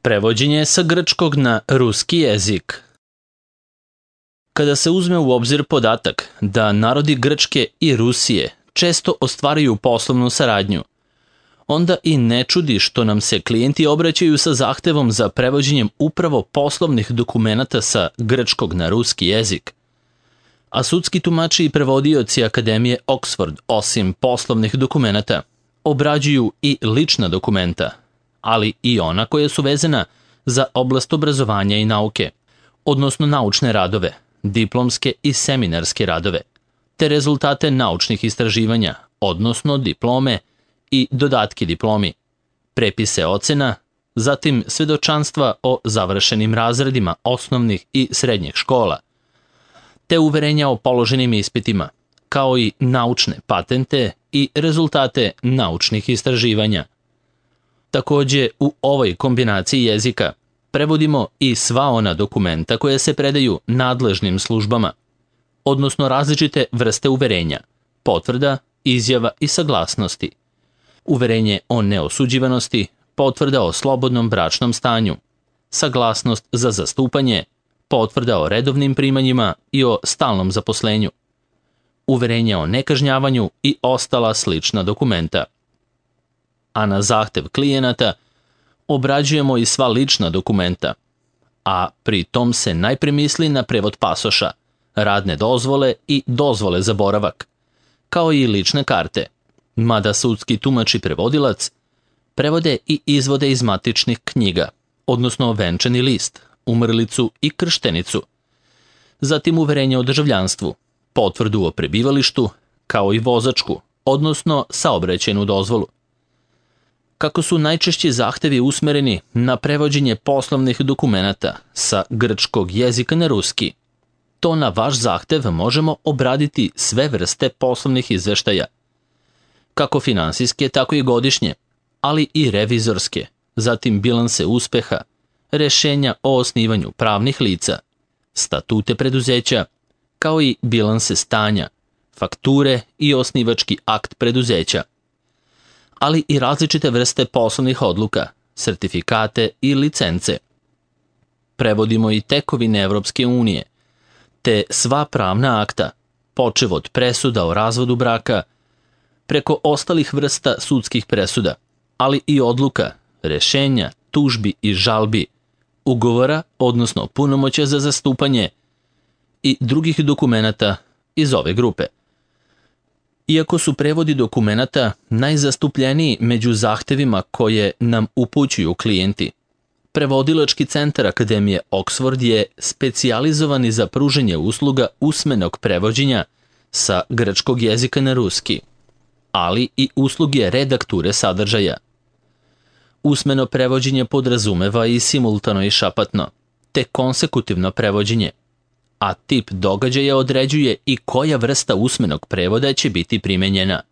Prevođenje sa grčkog na ruski jezik. Kada se uzme u obzir podatak da narodi Grčke i Rusije često ostvaruju poslovnu saradnju, onda i ne čudi što nam se klijenti obraćaju sa zahtevom za prevođenjem upravo poslovnih dokumenata sa grčkog na ruski jezik. A sudski tumači i prevodioci Akademije Oxford, osim poslovnih dokumenata, obrađuju i lična dokumenta, ali i ona koja su vezana za oblast obrazovanja i nauke, odnosno naučne radove, diplomske i seminarske radove, te rezultate naučnih istraživanja, odnosno diplome i dodatke diplomi, prepise ocena, zatim svedočanstva o završenim razredima osnovnih i srednjih škola, te uverenja o položenim ispitima, kao i naučne patente i rezultate naučnih istraživanja. Takođe, u ovoj kombinaciji jezika prevodimo i sva ona dokumenta koje se predaju nadležnim službama, odnosno različite vrste uverenja, potvrda, izjava i saglasnosti, uverenje o neosuđivanosti, potvrda o slobodnom bračnom stanju, saglasnost za zastupanje, potvrda o redovnim primanjima i o stalnom zaposlenju, uverenje o nekažnjavanju i ostala slična dokumenta. A na zahtev klijenata obrađujemo i sva lična dokumenta, a pri tom se najpre misli na prevod pasoša, radne dozvole i dozvole za boravak, kao i lične karte, mada sudski tumač i prevodilac prevode i izvode iz matičnih knjiga, odnosno venčani list, umrlicu i krštenicu, zatim uverenje o državljanstvu, potvrdu o prebivalištu, kao i vozačku, odnosno saobraćajnu dozvolu. Kako su najčešći zahtevi usmereni na prevođenje poslovnih dokumenata sa grčkog jezika na ruski, to na vaš zahtev možemo obraditi sve vrste poslovnih izveštaja, kako finansijske, tako i godišnje, ali i revizorske, zatim bilanse uspeha, rešenja o osnivanju pravnih lica, statute preduzeća, kao i bilanse stanja, fakture i osnivački akt preduzeća, ali i različite vrste poslovnih odluka, sertifikate i licence. Prevodimo i tekovine Evropske unije, te sva pravna akta, počev od presuda o razvodu braka, preko ostalih vrsta sudskih presuda, ali i odluka, rešenja, tužbi i žalbi, ugovora, odnosno punomoćja za zastupanje i drugih dokumenata iz ove grupe. Iako su prevodi dokumenata najzastupljeniji među zahtevima koje nam upućuju klijenti, Prevodilački centar Akademije Oxford je specijalizovani za pružanje usluga usmenog prevođenja sa grčkog jezika na ruski, ali i usluge redakture sadržaja. Usmeno prevođenje podrazumeva i simultano i šapatno, te konsekutivno prevođenje, a tip događaja određuje i koja vrsta usmenog prevoda će biti primenjena.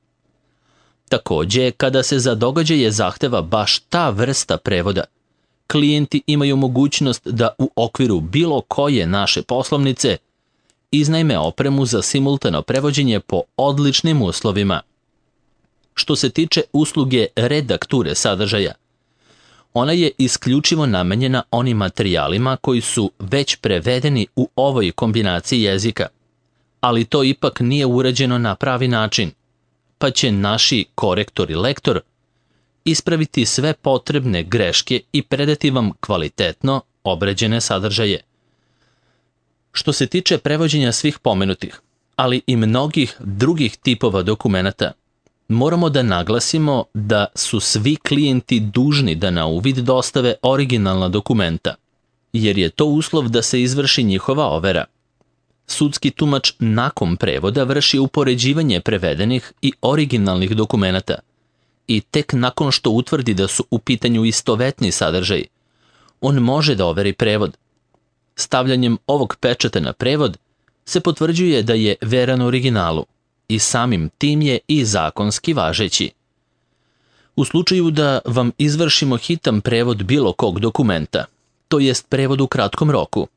Takođe, kada se za događaje zahteva baš ta vrsta prevoda, klijenti imaju mogućnost da u okviru bilo koje naše poslovnice iznajme opremu za simultano prevođenje po odličnim uslovima. Što se tiče usluge redakture sadržaja, ona je isključivo namenjena onim materijalima koji su već prevedeni u ovoj kombinaciji jezika, ali to ipak nije urađeno na pravi način, pa će naši korektor i lektor ispraviti sve potrebne greške i predati vam kvalitetno obrađene sadržaje. Što se tiče prevođenja svih pomenutih, ali i mnogih drugih tipova dokumenata, moramo da naglasimo da su svi klijenti dužni da na uvid dostave originalna dokumenta, jer je to uslov da se izvrši njihova overa. Sudski tumač nakon prevoda vrši upoređivanje prevedenih i originalnih dokumenata i tek nakon što utvrdi da su u pitanju istovetni sadržaj, on može da overi prevod. Stavljanjem ovog pečata na prevod se potvrđuje da je veran originalu i samim tim je i zakonski važeći. U slučaju da vam izvršimo hitan prevod bilo kog dokumenta, to jest prevod u kratkom roku,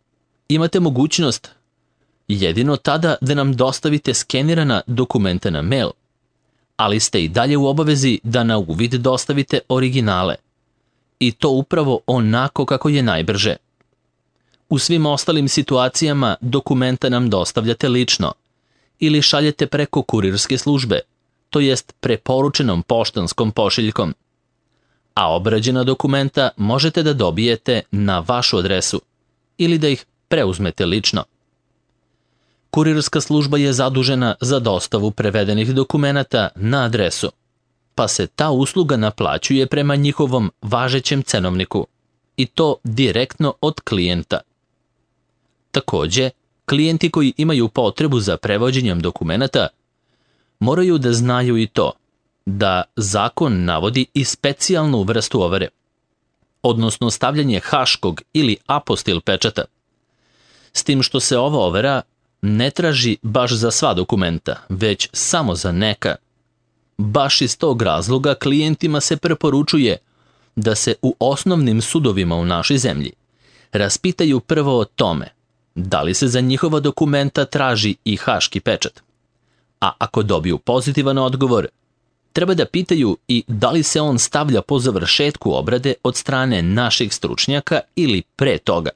imate mogućnost jedino tada da nam dostavite skenirana dokumenta na mail, ali ste i dalje u obavezi da na uvid dostavite originale i to upravo onako kako je najbrže. U svim ostalim situacijama dokumenta nam dostavljate lično ili šaljete preko kurirske službe, to jest preporučenom poštanskom pošiljkom, a obrađena dokumenta možete da dobijete na vašu adresu ili da ih preuzmete lično. Kurirska služba je zadužena za dostavu prevedenih dokumenata na adresu, pa se ta usluga naplaćuje prema njihovom važećem cenovniku i to direktno od klijenta. Takođe, klijenti koji imaju potrebu za prevođenjem dokumenata moraju da znaju i to da zakon navodi i specijalnu vrstu overe, odnosno stavljanje haškog ili apostil pečata, s tim što se ova overa ne traži baš za sva dokumenta, već samo za neka. Baš iz tog razloga klijentima se preporučuje da se u osnovnim sudovima u našoj zemlji raspitaju prvo o tome da li se za njihova dokumenta traži i haški pečat. A ako dobiju pozitivan odgovor, treba da pitaju i da li se on stavlja po završetku obrade od strane naših stručnjaka ili pre toga.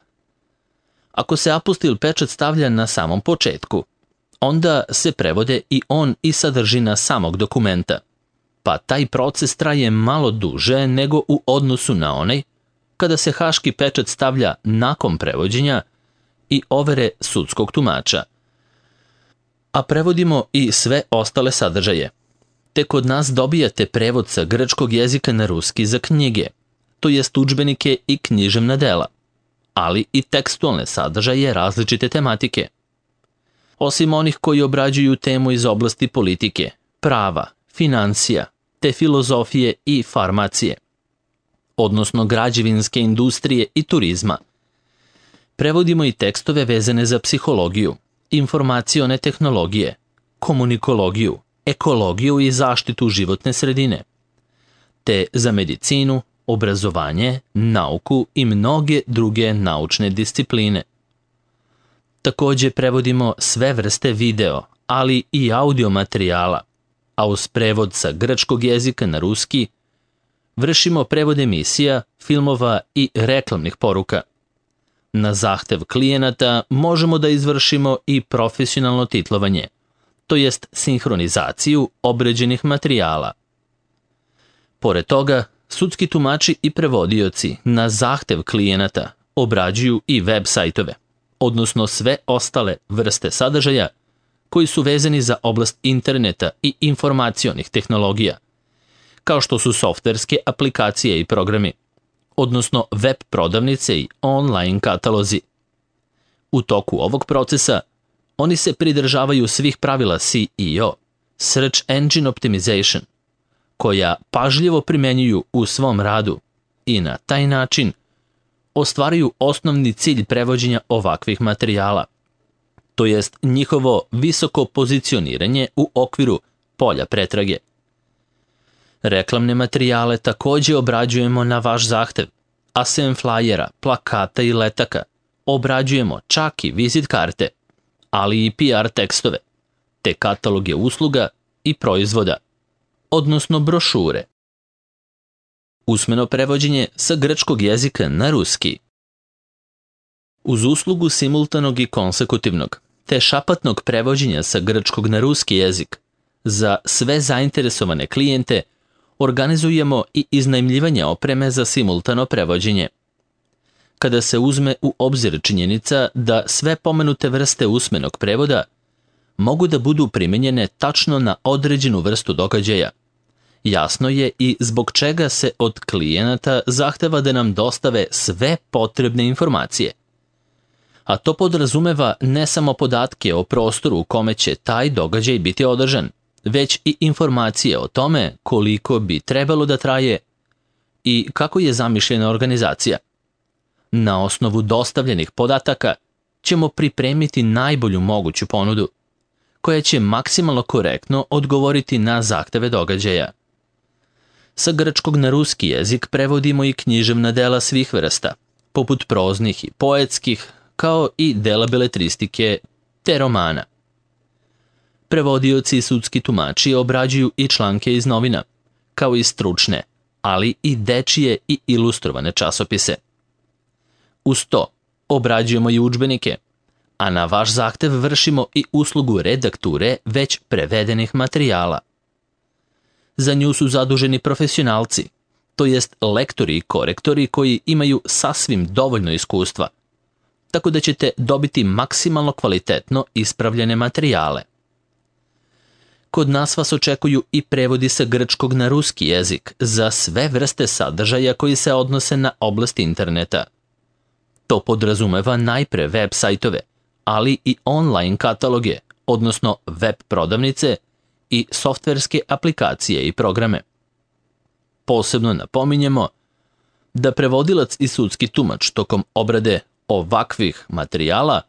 Ako se apostil pečat stavlja na samom početku, onda se prevode i on i sadržina samog dokumenta, pa taj proces traje malo duže nego u odnosu na onaj kada se haški pečat stavlja nakon prevođenja i overe sudskog tumača. A prevodimo i sve ostale sadržaje. Te kod nas dobijate prevod sa grčkog jezika na ruski za knjige, to jest udžbenike i književna dela, ali i tekstualne sadržaje različite tematike. Osim onih koji obrađuju temu iz oblasti politike, prava, financija, te filozofije i farmacije, odnosno građevinske industrije i turizma. Prevodimo i tekstove vezane za psihologiju, informacione tehnologije, komunikologiju, ekologiju i zaštitu životne sredine, te za medicinu, obrazovanje, nauku i mnoge druge naučne discipline. Takođe prevodimo sve vrste video, ali i audio materijala, a uz prevod sa grčkog jezika na ruski vršimo prevod emisija, filmova i reklamnih poruka. Na zahtev klijenata možemo da izvršimo i profesionalno titlovanje, to jest sinhronizaciju obrađenih materijala. Pored toga, sudski tumači i prevodioci na zahtev klijenata obrađuju i web sajtove, odnosno sve ostale vrste sadržaja koji su vezani za oblast interneta i informacionih tehnologija, kao što su softverske aplikacije i programi, odnosno web prodavnice i online katalozi. U toku ovog procesa oni se pridržavaju svih pravila SEO, Search Engine Optimization, koja pažljivo primenjuju u svom radu i na taj način ostvaruju osnovni cilj prevođenja ovakvih materijala, to jest njihovo visoko pozicioniranje u okviru polja pretrage. Reklamne materijale takođe obrađujemo na vaš zahtev, a sem flajera, plakata i letaka obrađujemo čak i vizit karte, ali i PR tekstove, te kataloge usluga i proizvoda, odnosno brošure. Usmeno prevođenje sa grčkog jezika na ruski. Uz uslugu simultanog i konsekutivnog, te šapatnog prevođenja sa grčkog na ruski jezik, za sve zainteresovane klijente organizujemo i iznajmljivanje opreme za simultano prevođenje. Kada se uzme u obzir činjenica da sve pomenute vrste usmenog prevoda mogu da budu primenjene tačno na određenu vrstu događaja, jasno je i zbog čega se od klijenata zahteva da nam dostave sve potrebne informacije. A to podrazumeva ne samo podatke o prostoru u kome će taj događaj biti održan, već i informacije o tome koliko bi trebalo da traje i kako je zamišljena organizacija. Na osnovu dostavljenih podataka ćemo pripremiti najbolju moguću ponudu, koja će maksimalno korektno odgovoriti na zahteve događaja. Sa grčkog na ruski jezik prevodimo i književna dela svih vrsta, poput proznih i poetskih, kao i dela beletristike te romana. Prevodioci i sudski tumači obrađuju i članke iz novina, kao i stručne, ali i dečije i ilustrovane časopise. Uz to obrađujemo i udžbenike, a na vaš zahtev vršimo i uslugu redakture već prevedenih materijala. Za nju su zaduženi profesionalci, to jest lektori i korektori koji imaju sasvim dovoljno iskustva, tako da ćete dobiti maksimalno kvalitetno ispravljene materijale. Kod nas vas očekuju i prevodi sa grčkog na ruski jezik za sve vrste sadržaja koji se odnose na oblast interneta. To podrazumeva najpre web sajtove, ali i online kataloge, odnosno web prodavnice i softverske aplikacije i programe. Posebno napominjemo da prevodilac i sudski tumač tokom obrade ovakvih materijala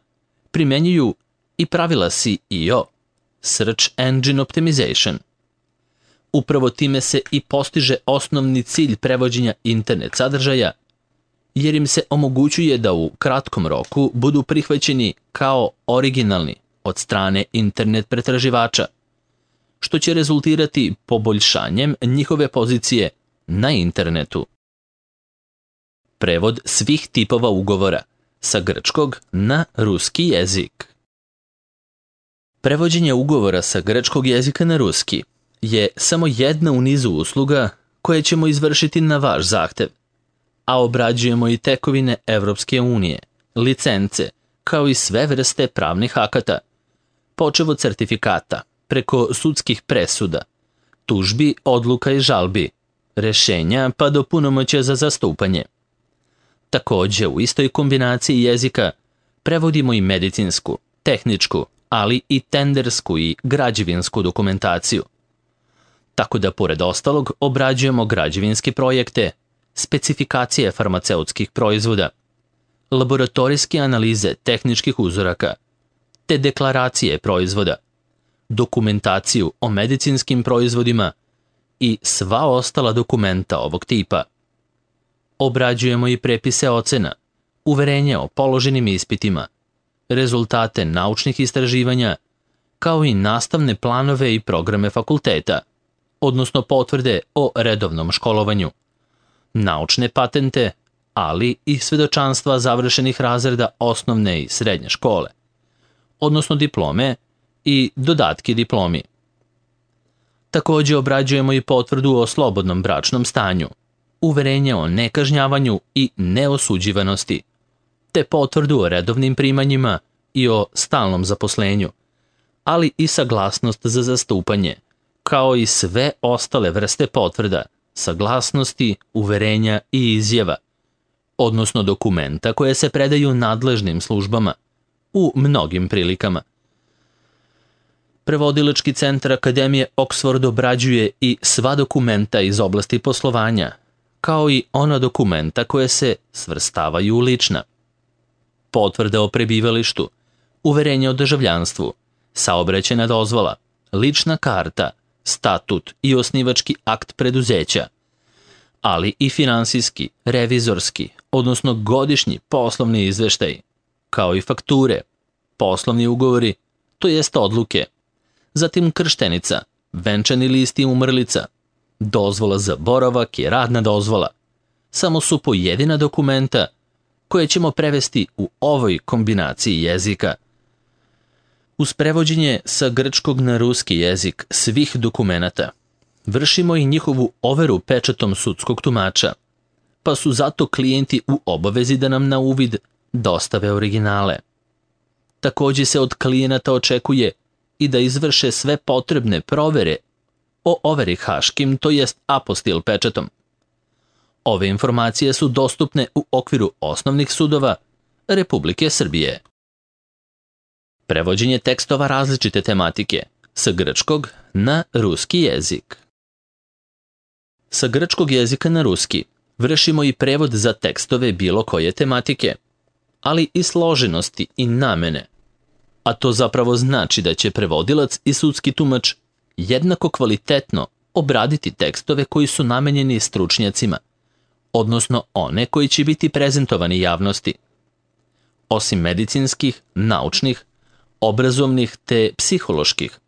primenjuju i pravila SEO, Search Engine Optimization. Upravo time se i postiže osnovni cilj prevođenja internet sadržaja, jer im se omogućuje da u kratkom roku budu prihvaćeni kao originalni od strane internet pretraživača, što će rezultirati poboljšanjem njihove pozicije na internetu. Prevod svih tipova ugovora sa grčkog na ruski jezik. Prevođenje ugovora sa grčkog jezika na ruski je samo jedna u nizu usluga koje ćemo izvršiti na vaš zahtev, a obrađujemo i tekovine Evropske unije, licence, kao i sve vrste pravnih akata, počev od certifikata, preko sudskih presuda, tužbi, odluka i žalbi, rešenja pa do punomoćja za zastupanje. Takođe, u istoj kombinaciji jezika prevodimo i medicinsku, tehničku, ali i tendersku i građevinsku dokumentaciju. Tako da, pored ostalog, obrađujemo građevinske projekte, specifikacije farmaceutskih proizvoda, laboratorijske analize tehničkih uzoraka, te deklaracije proizvoda, dokumentaciju o medicinskim proizvodima i sva ostala dokumenta ovog tipa. Obrađujemo i prepise ocena, uverenje o položenim ispitima, rezultate naučnih istraživanja, kao i nastavne planove i programe fakulteta, odnosno potvrde o redovnom školovanju, naučne patente, ali i svedočanstva završenih razreda osnovne i srednje škole, odnosno diplome i dodatki diplomi. Takođe obrađujemo i potvrdu o slobodnom bračnom stanju, uverenje o nekažnjavanju i neosuđivanosti, te potvrdu o redovnim primanjima i o stalnom zaposlenju, ali i saglasnost za zastupanje, kao i sve ostale vrste potvrda, saglasnosti, uverenja i izjava, odnosno dokumenta koje se predaju nadležnim službama u mnogim prilikama. Prevodilački centar Akademije Oxford obrađuje i sva dokumenta iz oblasti poslovanja, kao i ona dokumenta koje se svrstavaju u lična. Potvrda o prebivalištu, uverenje o državljanstvu, saobraćajna dozvola, lična karta, statut i osnivački akt preduzeća, ali i finansijski, revizorski, odnosno godišnji poslovni izveštaj, kao i fakture, poslovni ugovori, to jest odluke, zatim krštenica, venčani list i umrlica, dozvola za boravak i radna dozvola. Samo su pojedina dokumenta koje ćemo prevesti u ovoj kombinaciji jezika. Uz prevođenje sa grčkog na ruski jezik svih dokumenata, vršimo i njihovu overu pečatom sudskog tumača, pa su zato klijenti u obavezi da nam na uvid dostave originale. Takođe se od klijenata očekuje i da izvrše sve potrebne provere o overi haškim, to jest apostil pečatom. Ove informacije su dostupne u okviru osnovnih sudova Republike Srbije. Prevođenje tekstova različite tematike sa grčkog na ruski jezik. Sa grčkog jezika na ruski vršimo i prevod za tekstove bilo koje tematike, ali i složenosti i namene, a to zapravo znači da će prevodilac i sudski tumač jednako kvalitetno obraditi tekstove koji su namenjeni stručnjacima, odnosno one koji će biti prezentovani javnosti. Osim medicinskih, naučnih, obrazovnih te psiholoških,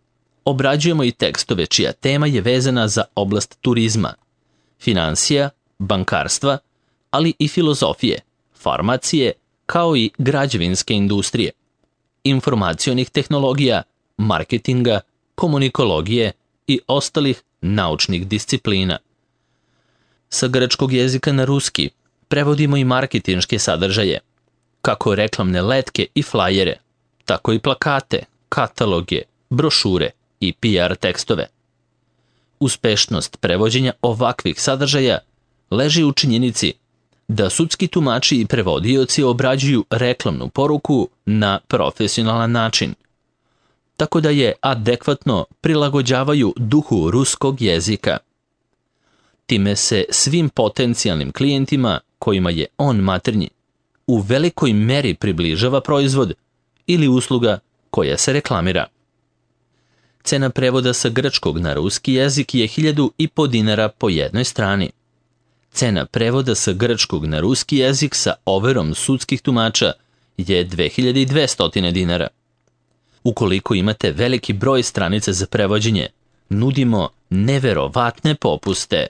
obrađujemo i tekstove čija tema je vezana za oblast turizma, finansija, bankarstva, ali i filozofije, farmacije, kao i građevinske industrije, informacionih tehnologija, marketinga, komunikologije i ostalih naučnih disciplina. Sa grčkog jezika na ruski prevodimo i marketinške sadržaje, kako reklamne letke i flajere, tako i plakate, kataloge, brošure i PR tekstove. Uspešnost prevođenja ovakvih sadržaja leži u činjenici da sudski tumači i prevodioci obrađuju reklamnu poruku na profesionalan način, tako da je adekvatno prilagođavaju duhu ruskog jezika. Time se svim potencijalnim klijentima kojima je on maternji u velikoj meri približava proizvod ili usluga koja se reklamira. Cena prevoda sa grčkog na ruski jezik je 1.500 dinara po jednoj strani. Cena prevoda sa grčkog na ruski jezik sa overom sudskih tumača je 2.200 dinara. Ukoliko imate veliki broj stranica za prevođenje, nudimo neverovatne popuste.